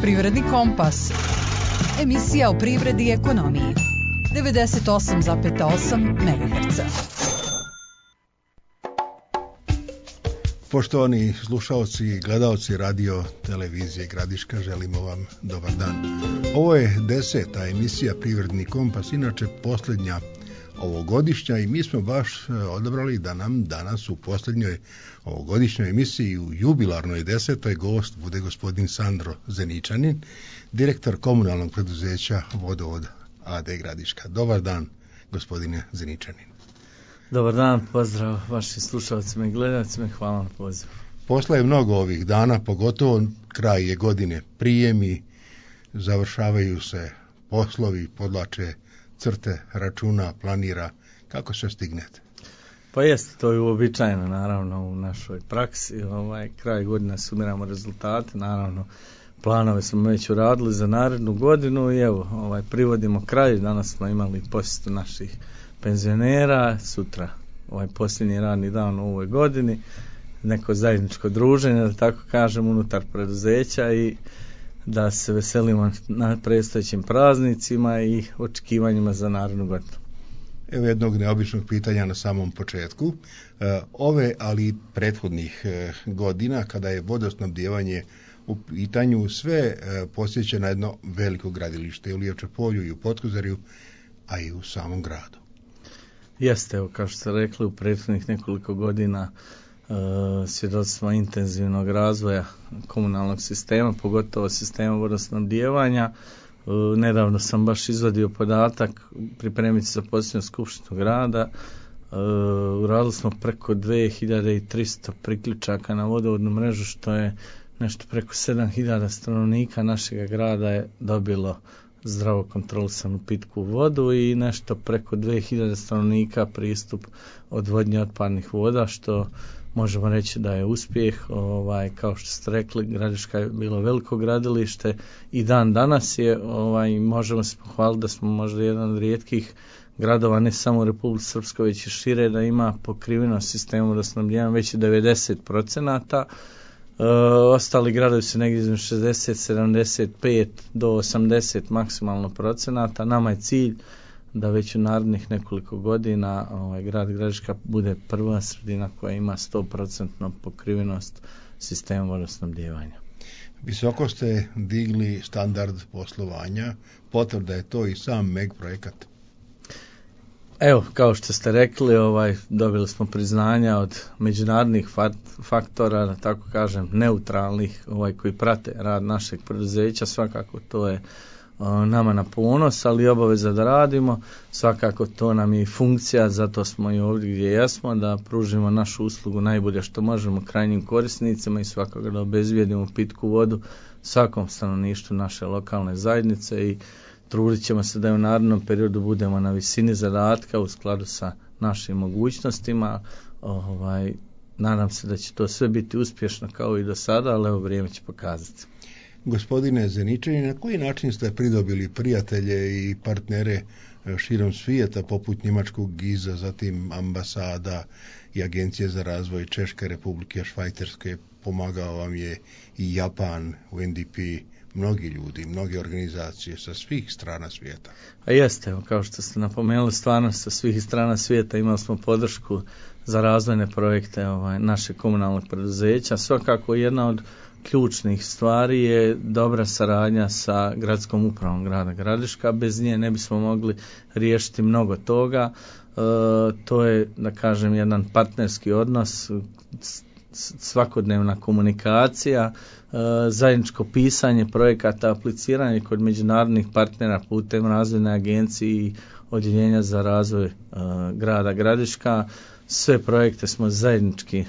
Privredni kompas. Emisija o privredi i ekonomiji. 98,8 MHz. Poštovani slušalci i gledalci radio televizije Gradiška, želimo vam dobar dan. Ovo je 10. emisija Privredni kompas, inače posljednja ovogodišnja, i mi smo baš odabrali da nam danas u posljednjoj ovogodišnjoj emisiji u jubilarnoj 10. gost bude gospodin Sandro Zeničanin, direktor komunalnog preduzeća Vodovod AD Gradiška. Dobar dan, gospodine Zeničanin. Dobar dan, pozdrav vašim slušalcima i gledalcima i hvala na pozivu. Posla je mnogo ovih dana, pogotovo kraj je godine, prijemi, završavaju se poslovi, podlače crte, računa, planira. Kako se stignete? Pa jeste, to je uobičajeno naravno u našoj praksi. Kraj godine sumiramo rezultate, naravno planove smo već uradili za narednu godinu i evo, privodimo kraj. Danas smo imali posjetu naših penzionera, sutra posljednji radni dan u ovoj godini, neko zajedničko druženje, da tako kažem, unutar preduzeća i da se veselimo na predstojećim praznicima i očekivanjima za narednu godinu. Evo jednog neobičnog pitanja na samom početku. Ove, ali i prethodnih godina, kada je vodosnabdijevanje u pitanju, sve posjeća na jedno veliko gradilište, u Lijevče polju i u Potkozarju, a i u samom gradu. Jeste, evo, kao što ste rekli, u prethodnih nekoliko godina svjedoci smo intenzivnog razvoja komunalnog sistema, pogotovo sistema vodosnabdijevanja. Nedavno sam baš izvadio podatak, pripremiti za posljednju skupštinu grada. Uradili smo preko 2300 priključaka na vodovodnu mrežu, što je nešto preko 7000 stanovnika našeg grada je dobilo zdravo kontrolisanu pitku vodu i nešto preko 2000 stanovnika pristup odvodnje otpadnih voda, što možemo reći da je uspjeh. Kao što ste rekli, Gradiška je bilo veliko gradilište i dan danas je, možemo se pohvaliti da smo možda jedan od rijetkih gradova, ne samo u Republici Srpskoj, već i šire, da ima pokrivenost sistemom vodosnabdijevanja već 90%. Ostali gradovi su negdje između 60, 75 do 80 maksimalno procenata. Nama je cilj da već u narednih nekoliko godina grad Gradiška bude prva sredina koja ima 100% pokrivenost sistema vodosnabdijevanja. Visoko ste digli standard poslovanja, potvrda je to i sam MEG projekat. Evo, kao što ste rekli, dobili smo priznanja od međunarodnih faktora, da tako kažem, neutralnih, koji prate rad našeg preduzeća. Svakako to je nama na ponos, ali obaveza da radimo. Svakako to nam je funkcija, zato smo i ovdje gdje jesmo, da pružimo našu uslugu najbolje što možemo krajnjim korisnicima i svakako da obezbijedimo pitku vodu svakom stanovništvu naše lokalne zajednice i trudit ćemo se da u narednom periodu budemo na visini zadatka u skladu sa našim mogućnostima. Nadam se da će to sve biti uspješno kao i do sada, ali evo, vrijeme će pokazati. Gospodine Zeničanin, na koji način ste pridobili prijatelje i partnere širom svijeta, poput njemačkog GIZ-a, zatim ambasada i Agencije za razvoj Češke Republike, Švajcarske, pomagao vam je i Japan, UNDP, mnogi ljudi, mnoge organizacije sa svih strana svijeta. A jeste, kao što ste napomenuli, stvarno sa svih strana svijeta imali smo podršku za razvojne projekte našeg komunalnog preduzeća. Svakako jedna od ključnih stvari je dobra saradnja sa gradskom upravom grada Gradiška. Bez nje ne bismo mogli riješiti mnogo toga. To je, da kažem, jedan partnerski odnos, svakodnevna komunikacija, zajedničko pisanje projekata, apliciranje kod međunarodnih partnera putem razvojne agencije i odjeljenja za razvoj grada Gradiška. Sve projekte smo zajednički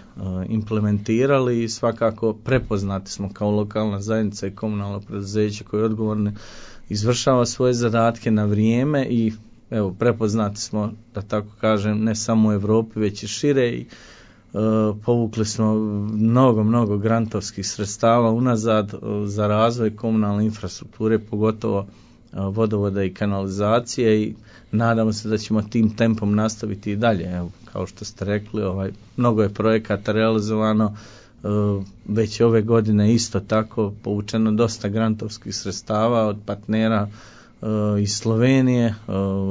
implementirali i svakako prepoznati smo kao lokalna zajednica i komunalno preduzeće koje odgovorno izvršava svoje zadatke na vrijeme i evo, prepoznati smo, da tako kažem, ne samo u Europi već i šire i povukli smo mnogo grantovskih sredstava unazad za razvoj komunalne infrastrukture, pogotovo vodovoda i kanalizacije i nadamo se da ćemo tim tempom nastaviti i dalje. Evo, kao što ste rekli, mnogo je projekata realizovano, već ove godine isto tako povučeno dosta grantovskih sredstava od partnera iz Slovenije.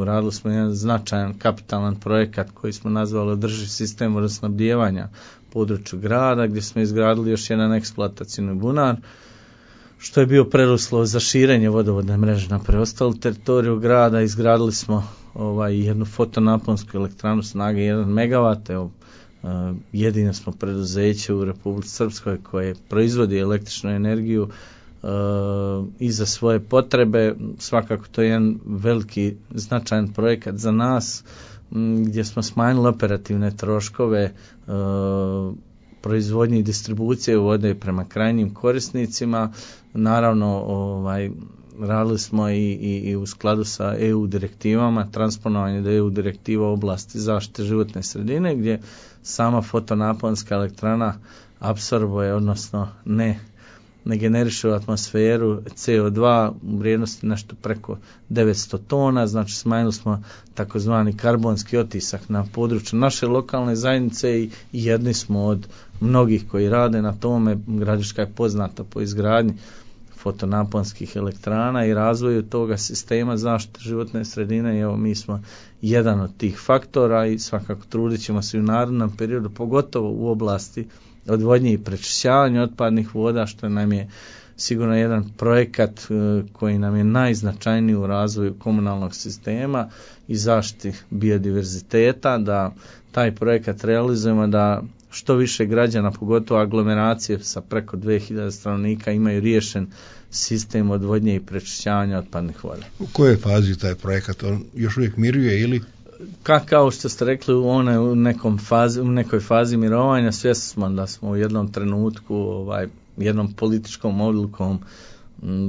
Radili smo jedan značajan kapitalan projekat koji smo nazvali održiv sistem vodosnabdijevanja području grada, gdje smo izgradili još jedan eksploatacijni bunar, što je bio preduslov za širenje vodovodne mreže na preostalu teritoriju grada. Izgradili smo jednu fotonaponsku elektranu snage 1 MW. Jedino smo preduzeće u Republici Srpskoj koje proizvodi električnu energiju i za svoje potrebe. Svakako to je jedan veliki značajan projekat za nas, gdje smo smanjili operativne troškove proizvodnje i distribucije vode prema krajnjim korisnicima. Naravno, radili smo i u skladu sa EU direktivama, transponovanje do EU direktiva u oblasti zaštite životne sredine, gdje sama fotonaponska elektrana apsorbuje, odnosno ne generiše u atmosferu CO2 u vrijednosti nešto preko 900 tona, znači smanjili smo takozvani karbonski otisak na području naše lokalne zajednice i jedni smo od mnogih koji rade na tome. Gradiška je poznata po izgradnji fotonaponskih elektrana i razvoju toga sistema zaštite životne sredine i evo mi smo jedan od tih faktora i svakako trudit ćemo se u narednom periodu, pogotovo u oblasti odvodnje i prečišćavanja otpadnih voda, što nam je sigurno jedan projekat koji nam je najznačajniji u razvoju komunalnog sistema i zaštiti biodiverziteta, da taj projekat realizujemo, da što više građana, pogotovo aglomeracije sa preko 2000 stanovnika, imaju riješen sistem odvodnje i prečišćavanja otpadnih voda. U kojoj fazi taj projekat? On još uvijek miruje ili? Kao što ste rekli, on je u nekoj fazi mirovanja. Svjesni smo da smo u jednom trenutku jednom političkom odlukom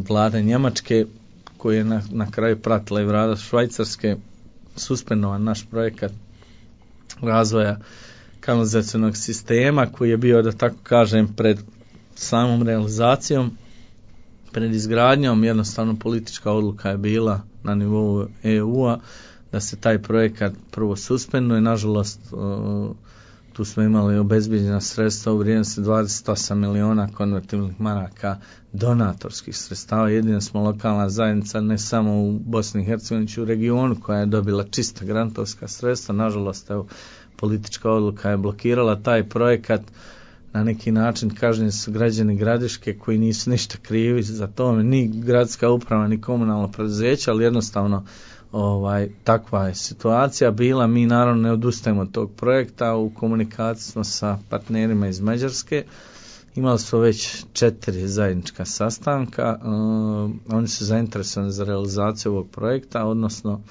vlade Njemačke, koji je na kraju pratila i vlada Švajcarske, suspendovan naš projekat razvoja kanalizacionog sistema, koji je bio, da tako kažem, pred samom realizacijom, pred izgradnjom. Jednostavno politička odluka je bila na nivou EU-a da se taj projekat prvo suspenduje. Nažalost, tu smo imali obezbijeđena sredstva u vrijednosti 28 miliona konvertibilnih maraka donatorskih sredstava. Jedina smo lokalna zajednica, ne samo u Bosni i Hercegovini, u regionu, koja je dobila čista grantovska sredstva. Nažalost, politička odluka je blokirala taj projekat. Na neki način kažnjeni su građani Gradiške koji nisu ništa krivi za to, ni gradska uprava, ni komunalno preduzeće, ali jednostavno takva je situacija bila. Mi naravno ne odustajemo od tog projekta, u komunikaciji smo sa partnerima iz Mađarske, imali smo već 4 zajednička sastanka, oni su zainteresovani za realizaciju ovog projekta, odnosno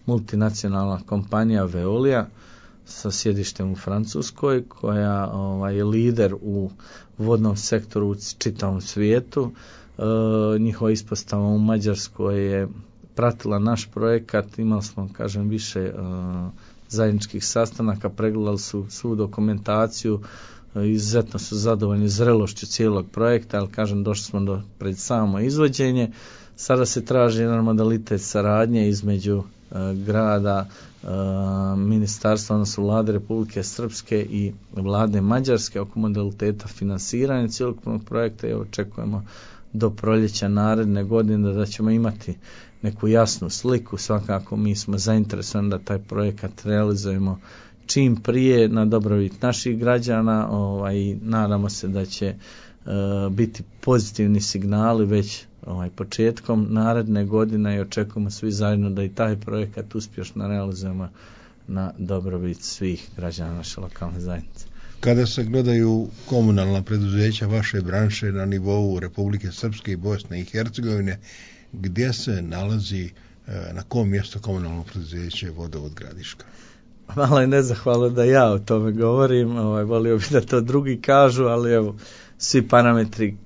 multinacionalna kompanija Veolia sa sjedištem u Francuskoj, koja je lider u vodnom sektoru u čitavom svijetu. Njihova ispostava u Mađarskoj je pratila naš projekat, imali smo, kažem, više zajedničkih sastanaka, pregledali su svu dokumentaciju, izuzetno su zadovoljni zrelošću cijelog projekta, ali kažem, došli smo pred samo izvođenje. Sada se traži jedan modalitet saradnje između grada, ministarstva, odnosno vlade Republike Srpske i vlade Mađarske oko modaliteta finansiranja cjelokupnog projekta i očekujemo do proljeća naredne godine da ćemo imati neku jasnu sliku. Svakako mi smo zainteresovani da taj projekat realizujemo čim prije na dobrobit naših građana i nadamo se da će biti pozitivni signali već početkom naredne godine i očekujemo svi zajedno da i taj projekat uspješno realizujemo na dobrobit svih građana naše lokalne zajednice. Kada se gledaju komunalna preduzeća vaše branše na nivou Republike Srpske i Bosne i Hercegovine, gdje se nalazi, na kom mjestu komunalno preduzeće Vodovod Gradiška? Malo je nezahvalno da ja o tome govorim, volio bih da to drugi kažu, ali evo, svi parametri,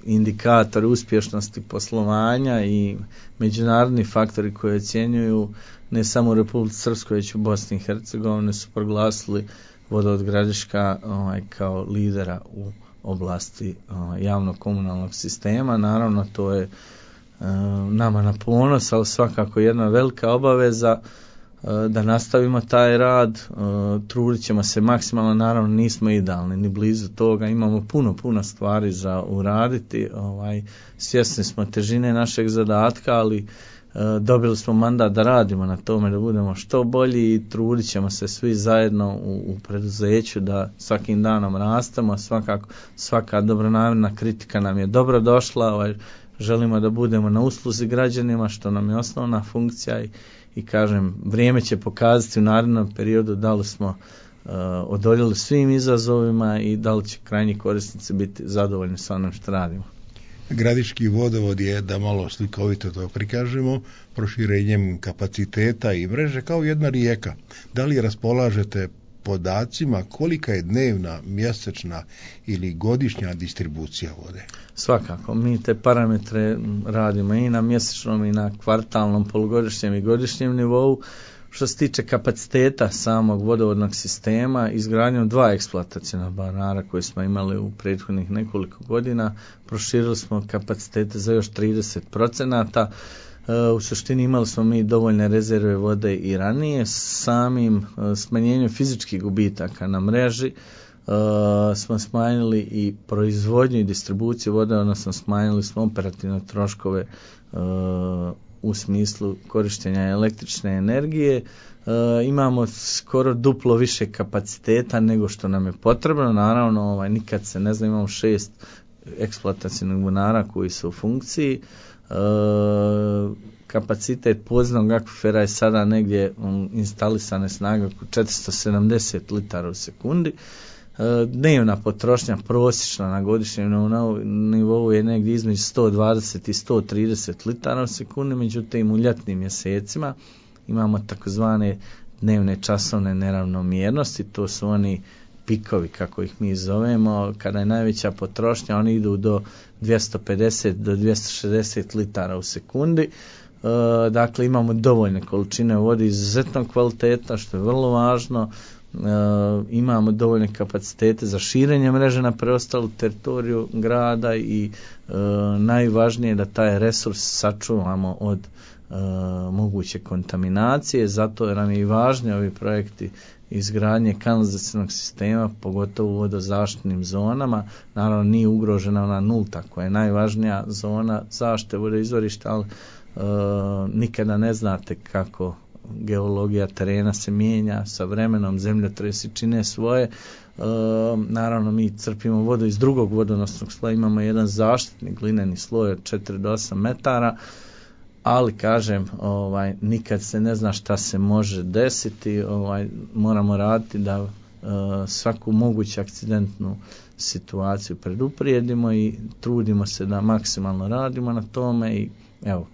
indikatori uspješnosti poslovanja i međunarodni faktori koji ocjenjuju ne samo u Republici Srpskoj, već u Bosni i Hercegovini su proglasili Vodovod Gradiška kao lidera u oblasti javnog komunalnog sistema. Naravno, to je nama na ponos, ali svakako jedna velika obaveza da nastavimo taj rad, trudit ćemo se maksimalno, naravno nismo idealni, ni blizu toga, imamo puno stvari za uraditi, svjesni smo težine našeg zadatka, ali dobili smo mandat da radimo na tome, da budemo što bolji i trudit ćemo se svi zajedno u preduzeću da svakim danom rastemo, svaka dobronamjerna kritika nam je dobro došla, želimo da budemo na usluzi građanima, što nam je osnovna funkcija i kažem, vrijeme će pokazati u narednom periodu da li smo odoljeli svim izazovima i da li će krajnji korisnici biti zadovoljni sa onim što radimo. Gradiški vodovod je, da malo slikovito to prikažemo, proširenjem kapaciteta i mreže kao jedna rijeka. Da li raspolažete podacima kolika je dnevna, mjesečna ili godišnja distribucija vode? Svakako, mi te parametre radimo i na mjesečnom i na kvartalnom, polugodišnjem i godišnjem nivou. Što se tiče kapaciteta samog vodovodnog sistema, izgradnjom 2 eksploatacijna banara koje smo imali u prethodnih nekoliko godina, proširili smo kapacitete za još 30%. U suštini imali smo mi dovoljne rezerve vode i ranije. Samim smanjenjem fizičkih gubitaka na mreži smo smanjili i proizvodnju i distribuciju vode, odnosno smanjili smo operativne troškove u smislu korištenja električne energije. Imamo skoro duplo više kapaciteta nego što nam je potrebno. Naravno, nikad se ne zna, imamo 6 eksploatacijnih bunara koji su u funkciji. Kapacitet podzemnog akvifera je sada negdje instalisane snage oko 470 litara u sekundi. Dnevna potrošnja prosječna na godišnjem nivou je negdje između 120 i 130 litara u sekundi, međutim u ljetnim mjesecima imamo takozvane dnevne časovne neravnomjernosti, to su oni pikovi kako ih mi zovemo, kada je najveća potrošnja, oni idu do 250 do 260 litara u sekundi. Dakle, imamo dovoljne količine vode, izuzetno kvaliteta, što je vrlo važno. Imamo dovoljne kapacitete za širenje mreže na preostalu teritoriju grada i najvažnije je da taj resurs sačuvamo od moguće kontaminacije, zato nam je i važni ovi projekti izgradnje kanalizacijskog sistema, pogotovo u vodozaštitnim zonama. Naravno nije ugrožena ona nulta koja je najvažnija zona zaštite vodoizvorišta, ali nikada ne znate kako geologija terena se mijenja sa vremenom, zemljotresi čine svoje. Naravno mi crpimo vodu iz drugog vodonosnog sloja, imamo jedan zaštitni glineni sloj od 4 do 8 metara, ali kažem, nikad se ne zna šta se može desiti, moramo raditi da svaku moguću akcidentnu situaciju preduprijedimo i trudimo se da maksimalno radimo na tome i evo,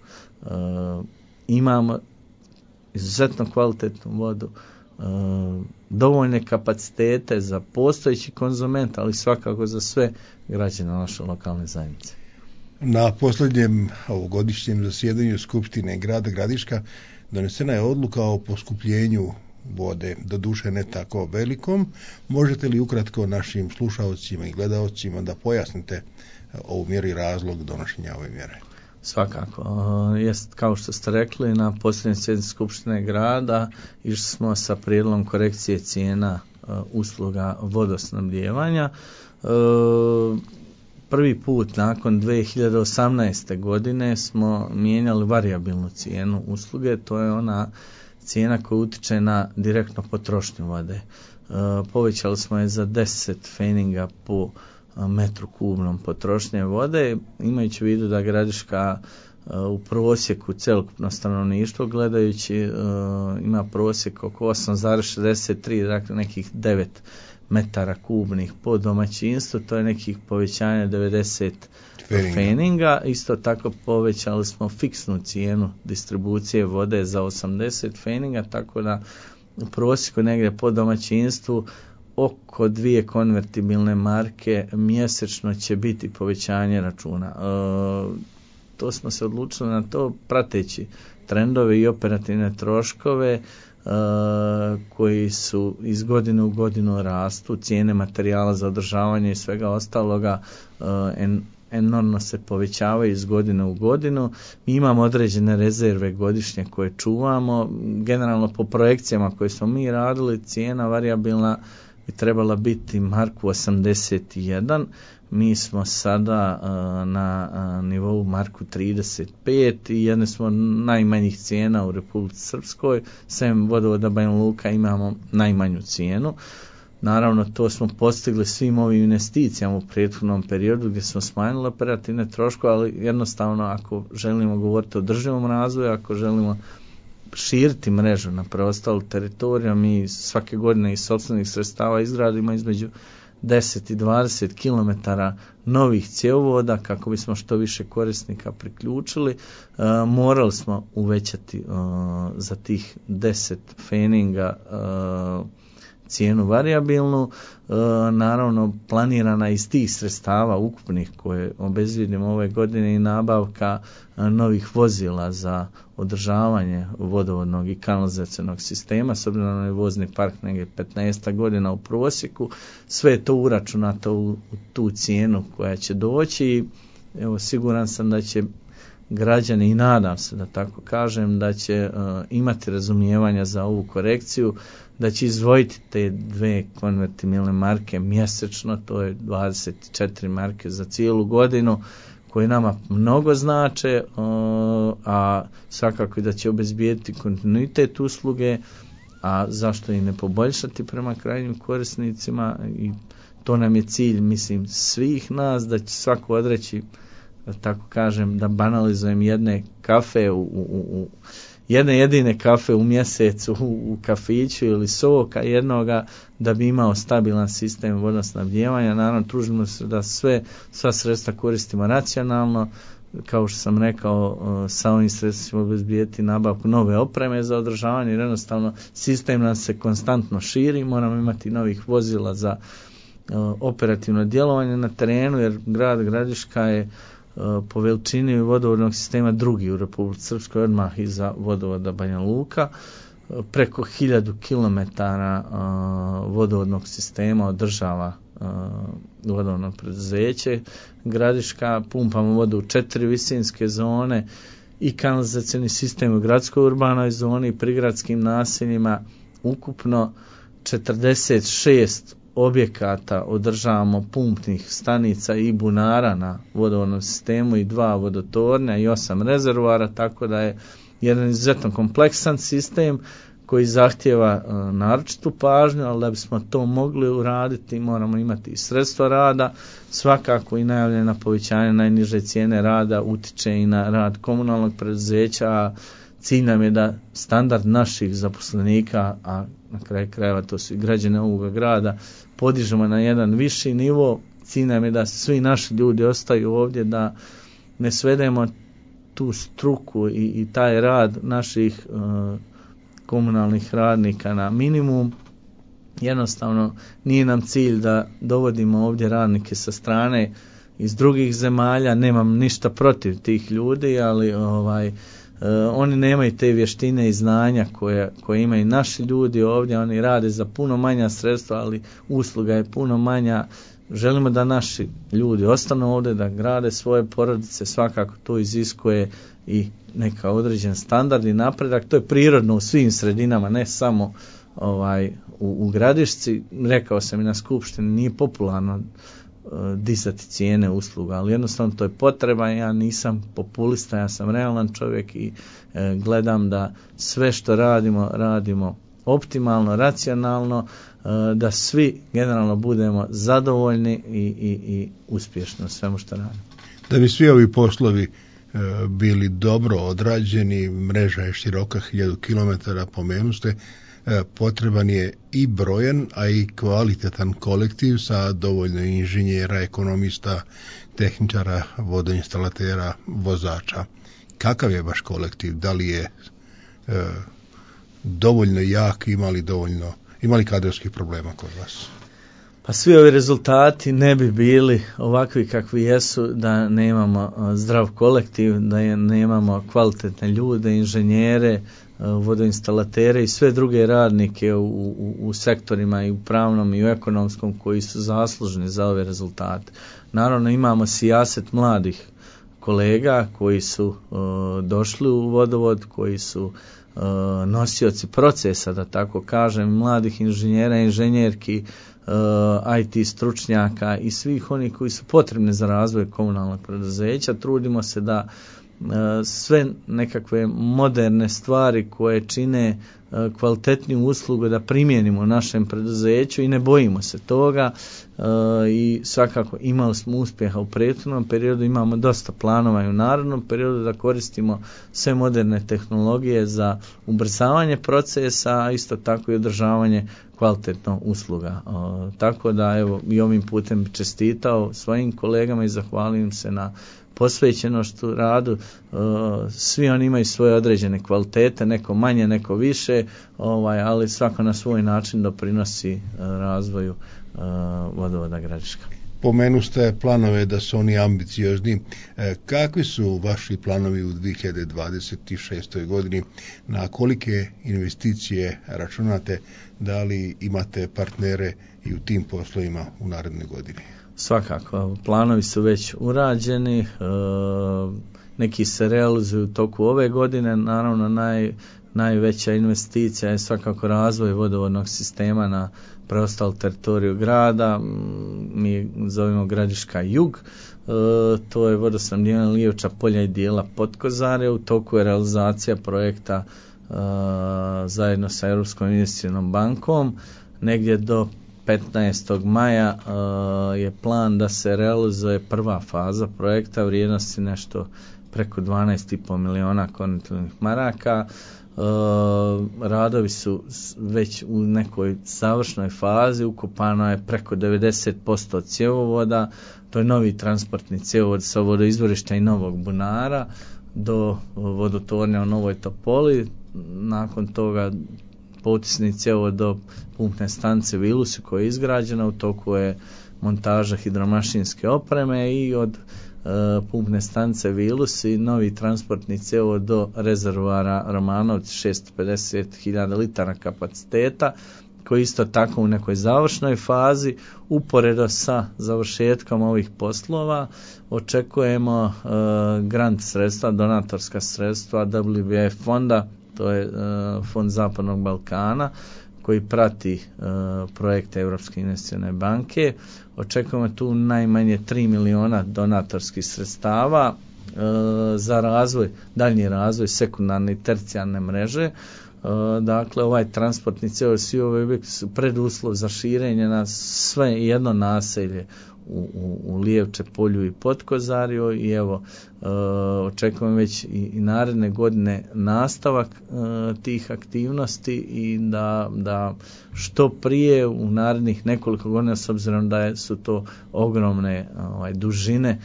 imamo izuzetno kvalitetnu vodu, dovoljne kapacitete za postojeći konzument, ali svakako za sve građane naše lokalne zajednice. Na posljednjem ovogodišnjem zasjedanju Skupštine grada Gradiška donesena je odluka o poskupljenju vode, doduše ne tako velikom. Možete li ukratko našim slušalcima i gledaocima da pojasnite ovu mjeru i razlog donošenja ove mjere? Svakako. Jest, kao što ste rekli, na posljednjoj sjednici Skupštine grada išli smo sa prijedlogom korekcije cijena usluga vodosnabdijevanja. Prvi put nakon 2018. godine smo mijenjali varijabilnu cijenu usluge, to je ona cijena koja utječe na direktno potrošnju vode. Povećali smo je za 10 pfeninga po metru kubnom potrošnje vode, imajući u vidu da Gradiška u prosjeku celokupno stanovništvo gledajući ima prosjek oko 8,63, dakle nekih 9 metara kubnih po domaćinstvu, to je nekih povećanja 90 pfeninga. Isto tako povećali smo fiksnu cijenu distribucije vode za 80 pfeninga, tako da u prosjeku negdje po domaćinstvu oko 2 konvertibilne marke mjesečno će biti povećanje računa. To smo se odlučili na to prateći trendove i operativne troškove koji su iz godine u godinu rastu, cijene materijala za održavanje i svega ostaloga, enormno se povećavaju iz godine u godinu. Mi imamo određene rezerve godišnje koje čuvamo. Generalno po projekcijama koje smo mi radili, cijena varijabilna bi trebala biti marku 81. Mi smo sada na nivou marku 35 i jedne smo najmanjih cijena u Republici Srpskoj. Sem vodovoda Banja Luka imamo najmanju cijenu. Naravno, to smo postigli svim ovim investicijama u prethodnom periodu gdje smo smanjili operativne troškove, ali jednostavno ako želimo govoriti o održivom razvoju, ako želimo širiti mrežu na preostalu teritoriju, mi svake godine iz sopstvenih sredstava izgradimo između 10 i 20 km novih cjevovoda kako bismo što više korisnika priključili. Morali smo uvećati za tih 10 feninga cijenu varijabilnu, naravno planirana iz tih sredstava ukupnih koje obezvijedimo ove godine i nabavka novih vozila za održavanje vodovodnog i kanalizacionog sistema, s obzirom na vozni park negdje 15 godina u prosjeku, sve je to uračunato u tu cijenu koja će doći. Evo, siguran sam da će građani, i nadam se da tako kažem, da će imati razumijevanja za ovu korekciju, da će izdvojiti te 2 konvertibilne marke mjesečno, to je 24 marke za cijelu godinu, koje nama mnogo znače, a svakako i da će obezbijediti kontinuitet usluge, a zašto i ne poboljšati prema krajnjim korisnicima, i to nam je cilj, mislim, svih nas, da će svako odreći, da tako kažem, da banalizujem jedne kafe jedne jedine kafe u mjesecu u kafiću ili soka jednoga, da bi imao stabilan sistem vodosnabdijevanja. Naravno, trudimo se da sva sredstva koristimo racionalno. Kao što sam rekao, sa ovim sredstvima obezbijeti nabavku nove opreme za održavanje, jer jednostavno sistem nam se konstantno širi, moramo imati novih vozila za operativno djelovanje na terenu, jer grad Gradiška je po veličini vodovodnog sistema drugi u Republici Srpskoj, odmah iza vodovoda Banja Luka. Preko 1000 km vodovodnog sistema održava vodovodno preduzeće Gradiška. Pumpamo vodu u 4 visinske zone i kanalizacioni sistem u gradskoj urbanoj zoni i prigradskim naseljima. Ukupno 46 objekata održavamo, pumpnih stanica i bunara na vodovodnom sistemu i 2 vodotornja i 8 rezervoara, tako da je jedan izuzetno kompleksan sistem koji zahtjeva naročitu pažnju, ali da bismo to mogli uraditi moramo imati i sredstva rada. Svakako i najavljena povećanje najniže cijene rada utiče i na rad komunalnog preduzeća. Cilj nam je da standard naših zaposlenika, a na kraju krajeva to su i građani ovoga grada, podižemo na jedan viši nivo. Cilj nam je da svi naši ljudi ostaju ovdje, da ne svedemo tu struku i taj rad naših komunalnih radnika na minimum. Jednostavno nije nam cilj da dovodimo ovdje radnike sa strane iz drugih zemalja. Nemam ništa protiv tih ljudi, ali oni nemaju te vještine i znanja koje imaju naši ljudi ovdje. Oni rade za puno manja sredstva, ali usluga je puno manja. Želimo da naši ljudi ostanu ovdje, da grade svoje porodice. Svakako to iziskuje i neka određen standard i napredak. To je prirodno u svim sredinama, ne samo u Gradišci. Rekao sam i na skupštini, nije popularno dizati cijene usluga, ali jednostavno to je potreba. Ja nisam populista, ja sam realan čovjek i gledam da sve što radimo optimalno, racionalno, da svi generalno budemo zadovoljni i uspješni u svemu što radimo. Da bi svi ovi poslovi bili dobro odrađeni, mreža je široka 1000 km, pomenuste, potreban je i brojan, a i kvalitetan kolektiv sa dovoljno inženjera, ekonomista, tehničara, vodoinstalatera, vozača. Kakav je vaš kolektiv? Da li je dovoljno jak, imali kadrovskih problema kod vas? Pa svi ovi rezultati ne bi bili ovakvi kakvi jesu da nemamo zdrav kolektiv, da nemamo kvalitetne ljude, inženjere, vodoinstalatere i sve druge radnike u sektorima i u pravnom i u ekonomskom koji su zaslužni za ove rezultate. Naravno imamo sijaset mladih kolega koji su došli u vodovod, koji su nosioci procesa, da tako kažem, mladih inženjera, inženjerki, IT stručnjaka i svih onih koji su potrebni za razvoj komunalnog preduzeća. Trudimo se da sve nekakve moderne stvari koje čine kvalitetniju uslugu da primijenimo u našem preduzeću i ne bojimo se toga i svakako imali smo uspjeha u prethodnom periodu, imamo dosta planova i u narednom periodu da koristimo sve moderne tehnologije za ubrzavanje procesa, a isto tako i održavanje kvalitetno usluga. Tako da evo i ovim putem čestitao svojim kolegama i zahvalim im se na posvećenošću radu. Svi oni imaju svoje određene kvalitete, neko manje, neko više, ali svako na svoj način doprinosi razvoju vodovoda Gradiška. Pomenuste planove da su oni ambiciozni. Kakvi su vaši planovi u 2026. godini? Na kolike investicije računate? Da li imate partnere i u tim poslovima u narednoj godini? Svakako, planovi su već urađeni, neki se realizuju u toku ove godine, naravno najveća investicija je svakako razvoj vodovodnog sistema na preostalu teritoriju grada, mi zovemo Gradiška jug, to je vodosnabdijevanje Lijevča polja i dijela Potkozare, u toku je realizacija projekta zajedno sa Europskom investicijskom bankom, negdje do 15. maja je plan da se realizuje prva faza projekta vrijednosti nešto preko 12,5 miliona kontinentalnih maraka. Radovi su već u nekoj završnoj fazi, ukopano je preko 90% cjevovoda, to je novi transportni cjevovod sa vodoizvorišta i Novog Bunara do vodotornja u Novoj Topoli, nakon toga potisni cjevovod do pumpne stanice Vilusi koja je izgrađena, u toku je montaža hidromašinske opreme i od pumpne stanice Vilusi novi transportni cjevovod do rezervoara Romanovci 650.000 litara kapaciteta koji isto tako u nekoj završnoj fazi. Uporedo sa završetkom ovih poslova očekujemo grant sredstva, donatorska sredstva WBF fonda, to je Fond Zapadnog Balkana koji prati projekte Europske investicijske banke. Očekujemo tu najmanje 3 miliona donatorskih sredstava za razvoj, daljnji razvoj sekundarne i tercijarne mreže. Dakle, ovaj transportni cjevovod, svi ovi objekti su preduslov za širenje na sve jedno naselje u Lijevče polju i Potkozarju i evo očekujem već i naredne godine nastavak tih aktivnosti i da što prije u narednih nekoliko godina, s obzirom da su to ogromne dužine,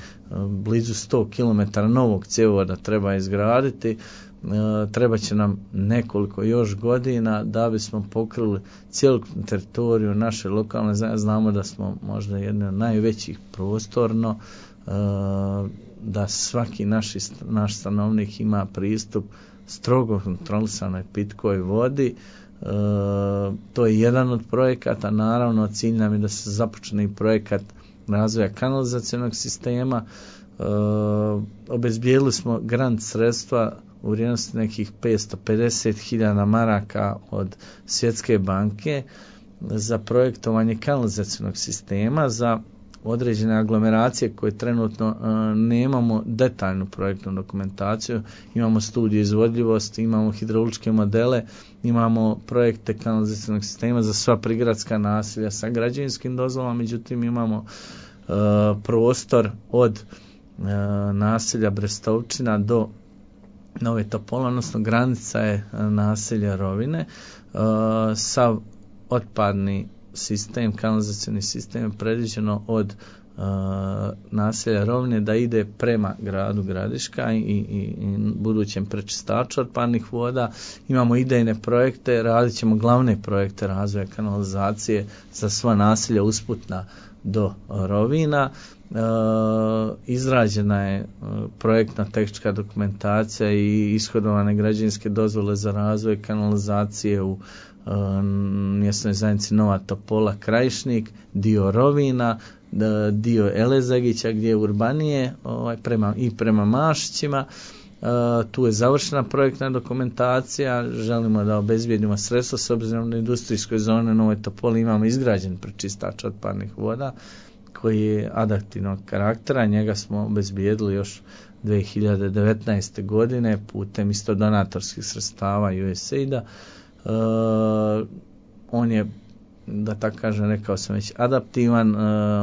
blizu 100 km novog cjevovoda treba izgraditi, treba će nam nekoliko još godina da bismo pokrili cjelokupnu teritoriju naše lokalne zajednice. Znamo da smo možda jedni od najvećih prostorno, da svaki naš stanovnik ima pristup strogo kontrolisanoj pitkoj vodi. To je jedan od projekata, naravno cilj nam je da se započne i projekat razvoja kanalizacionog sistema. Obezbijedili smo grant sredstva u vrijednosti nekih 550.000 maraka od Svjetske banke za projektovanje kanalizacionog sistema za određene aglomeracije koje trenutno nemamo detaljnu projektnu dokumentaciju, imamo studiju izvodljivosti, imamo hidrauličke modele, imamo projekte kanalizacionog sistema za sva prigradska naselja sa građevinskim dozvolama, međutim imamo prostor od naselja Brestovčina do Nove Topole, odnosno granica je naselja Rovine. Sav otpadni sistem, kanalizacioni sistem je predviđeno od naselja Rovine da ide prema gradu Gradiška i budućem prečistaču otpadnih voda. Imamo idejne projekte, radit ćemo glavne projekte razvoja kanalizacije za sva naselja usput do Rovina. Izrađena je projektna tehnička dokumentacija i ishodovane građevinske dozvole za razvoj kanalizacije u mjesnoj zajednici Nova Topola Krajišnik, dio Rovina, dio Elezagića gdje je urbanije prema Mašićima. Tu je završena projektna dokumentacija, želimo da obezbijedimo sredstva s obzirom na industrijskoj zoni Novoj Topoli imamo izgrađen prečistač otpadnih voda koji je adaptivnog karaktera, njega smo obezbijedili još 2019. godine putem isto donatorskih sredstava USAID-a. On je, da tako kažem, rekao sam već, adaptivan,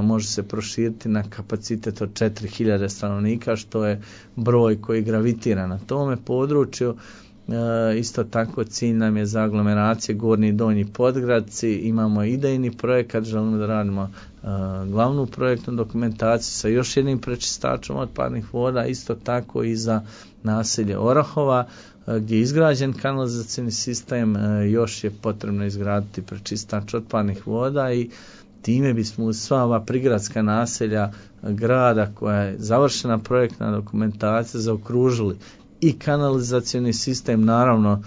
može se proširiti na kapacitet od 4000 stanovnika, što je broj koji gravitira na tome području. Isto tako cilj nam je za aglomeracije Gornji i Donji Podgradci, imamo idejni projekat, želimo da radimo glavnu projektnu dokumentaciju sa još jednim prečistačom otpadnih voda, isto tako i za naselje Orahova gdje je izgrađen kanalizacijni sistem, još je potrebno izgraditi prečistač otpadnih voda i time bismo uz sva ova prigradska naselja grada koja je završena projektna dokumentacija zaokružili i kanalizacijni sistem. Naravno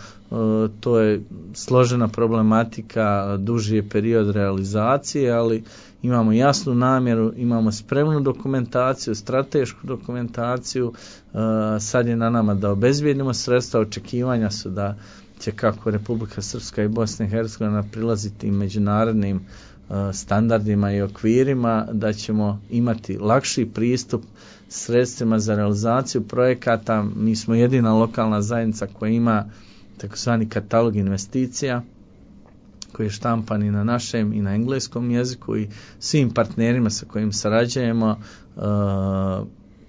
to je složena problematika, duži je period realizacije, ali imamo jasnu namjeru, imamo spremnu dokumentaciju, stratešku dokumentaciju, sad je na nama da obezbijedimo sredstva, očekivanja su da će kako Republika Srpska i Bosna i Hercegovina prilaziti međunarodnim standardima i okvirima, da ćemo imati lakši pristup sredstvima za realizaciju projekata. Mi smo jedina lokalna zajednica koja ima takozvani katalog investicija koji je štampan i na našem i na engleskom jeziku i svim partnerima sa kojim sarađujemo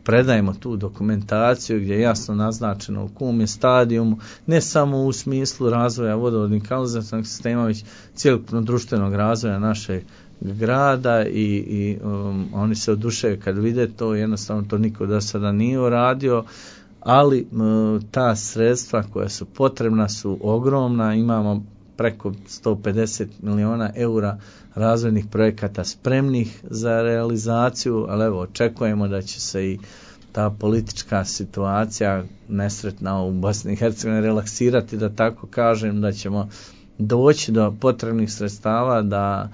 predajemo tu dokumentaciju gdje je jasno naznačeno u kom je stadijumu, ne samo u smislu razvoja vodovodnih kanalizacijskog sistema, već cjelokupno društvenog razvoja našeg grada i oni se oduševaju kad vide to, jednostavno to niko do sada nije uradio, ali ta sredstva koja su potrebna su ogromna, imamo preko 150 miliona eura razvojnih projekata spremnih za realizaciju, ali evo očekujemo da će se i ta politička situacija nesretna u Bosni i Hercegovini relaksirati, da tako kažem, da ćemo doći do potrebnih sredstava da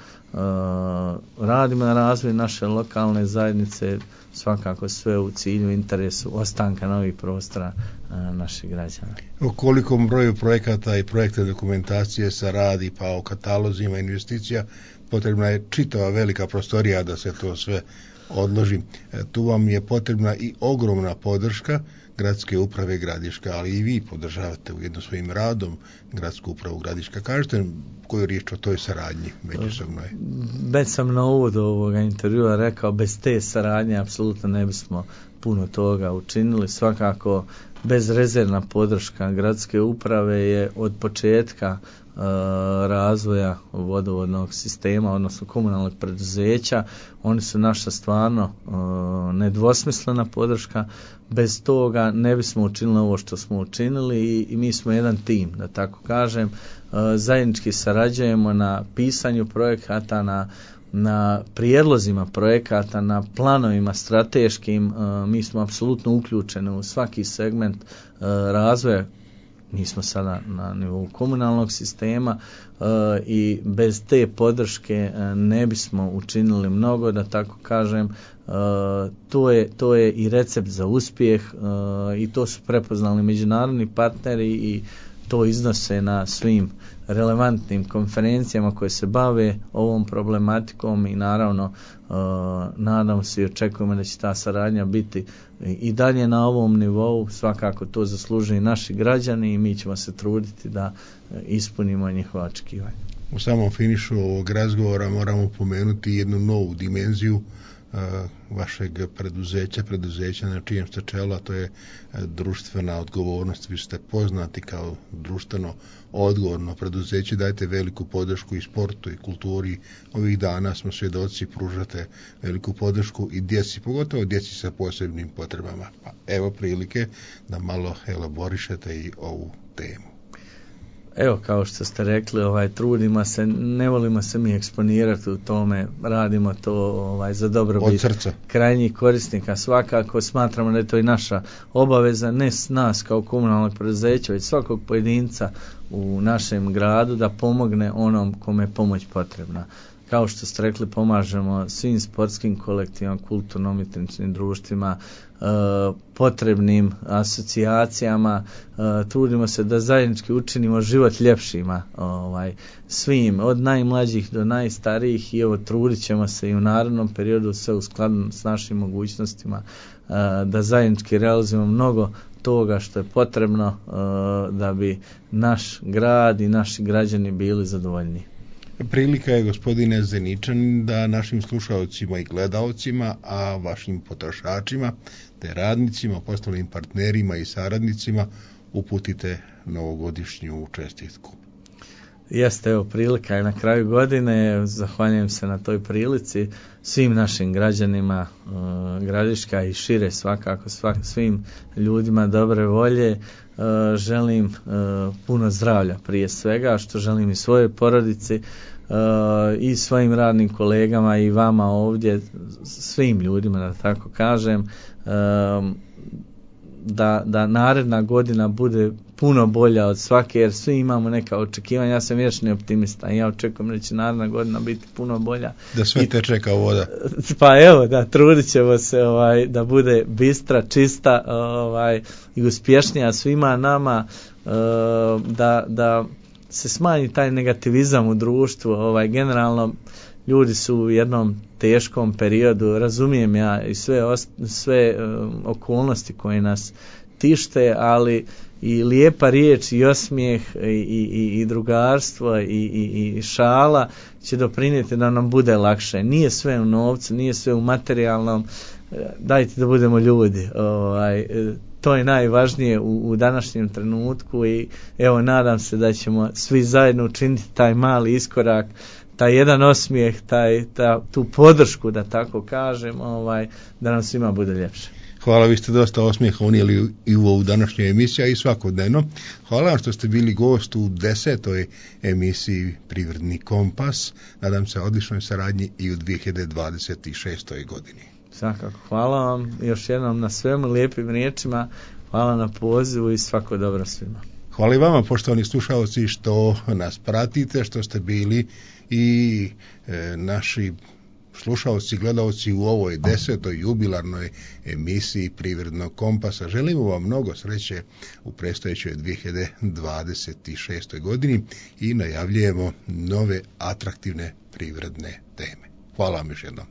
radimo na razvoju naše lokalne zajednice, svakako sve u cilju interesu ostanka novih prostora naših građana. O kolikom broju projekata i projektne dokumentacije se radi, pa o katalozima investicija, potrebna je čitava velika prostorija da se to sve odloži. Tu vam je potrebna i ogromna podrška Gradske uprave Gradiška, ali i vi podržavate ujedno svojim radom Gradsku upravu Gradiška. Kažete koju riječ o toj saradnji međusobnoj? Već sam na uvodu ovoga intervjua rekao, bez te saradnje apsolutno ne bismo puno toga učinili. Svakako bezrezervna podrška Gradske uprave je od početka razvoja vodovodnog sistema, odnosno komunalnog preduzeća. Oni su naša stvarno nedvosmislena podrška. Bez toga ne bismo učinili ovo što smo učinili i mi smo jedan tim, da tako kažem. Zajednički sarađujemo na pisanju projekata, na prijedlozima projekata, na planovima strateškim. Mi smo apsolutno uključeni u svaki segment razvoja. Mi smo sada na nivou komunalnog sistema i bez te podrške ne bismo učinili mnogo, da tako kažem. To je i recept za uspjeh i to su prepoznali međunarodni partneri i to iznose na svim relevantnim konferencijama koje se bave ovom problematikom i naravno nadam se i očekujemo da će ta saradnja biti i dalje na ovom nivou. Svakako to zaslužuju naši građani i mi ćemo se truditi da ispunimo njihova očekivanja. U samom finišu ovog razgovora moramo pomenuti jednu novu dimenziju vašeg preduzeća na čijem ste čelu, a to je društvena odgovornost. Vi ste poznati kao društveno odgovorno preduzeće, dajete veliku podršku i sportu i kulturi. Ovih dana smo svjedoci, pružate veliku podršku i djeci, pogotovo djeci sa posebnim potrebama. Pa evo prilike da malo elaborišete i ovu temu. Evo, kao što ste rekli, trudimo se, ne volimo se mi eksponirati u tome, radimo to za dobrobit krajnjih korisnika. Svakako smatramo da je to i naša obaveza, ne nas kao komunalnog preduzeća, već svakog pojedinca u našem gradu da pomogne onom kome je pomoć potrebna. Kao što ste rekli, pomažemo svim sportskim kolektivima, kulturno-umjetničkim društvima, potrebnim asocijacijama, trudimo se da zajednički učinimo život ljepšima svim, od najmlađih do najstarijih, i trudit ćemo se i u narednom periodu sve u skladu s našim mogućnostima da zajednički realizujemo mnogo toga što je potrebno da bi naš grad i naši građani bili zadovoljni. Prilika je, gospodine Zeničanin, da našim slušaocima i gledaocima, a vašim potrošačima te radnicima, poslovnim partnerima i saradnicima uputite novogodišnju čestitku. Jeste, evo, prilika je na kraju godine. Zahvaljujem se na toj prilici svim našim građanima Gradiška i šire, svakako svim ljudima dobre volje. Želim puno zdravlja prije svega, što želim i svojoj porodici i svojim radnim kolegama i vama ovdje, svim ljudima, da tako kažem, da naredna godina bude puno bolja od svake, jer svi imamo neka očekivanja. Ja sam vječni optimista i ja očekujem da će naredna godina biti puno bolja. Da sve teče kao voda. Pa evo, da, trudit ćemo se da bude bistra, čista i uspješnija svima nama, da se smanji taj negativizam u društvu. Generalno ljudi su u jednom teškom periodu, razumijem ja i sve okolnosti koje nas tište, ali i lijepa riječ i osmijeh i drugarstvo i šala će doprinijeti da nam bude lakše. Nije sve u novcu, nije sve u materijalnom, dajte da budemo ljudi. To je najvažnije u današnjem trenutku i evo, nadam se da ćemo svi zajedno učiniti taj mali iskorak, taj jedan osmijeh, tu podršku, da tako kažem, da nam svima bude ljepše. Hvala, vi ste dosta osmijeha unijeli i u ovu današnju emisiju i svakodnevno. Hvala vam što ste bili gost u 10. emisiji Privredni kompas. Nadam se odličnoj saradnji i u 2026. godini. Svakako, hvala vam još jednom na svemu, lijepim riječima, hvala na pozivu i svako dobro svima. Hvala i vama, poštovani slušalci, što nas pratite, što ste bili i naši slušalci, gledalci u ovoj 10. jubilarnoj emisiji Privrednog kompasa. Želimo vam mnogo sreće u predstojećoj 2026. godini i najavljujemo nove atraktivne privredne teme. Hvala vam još jednom.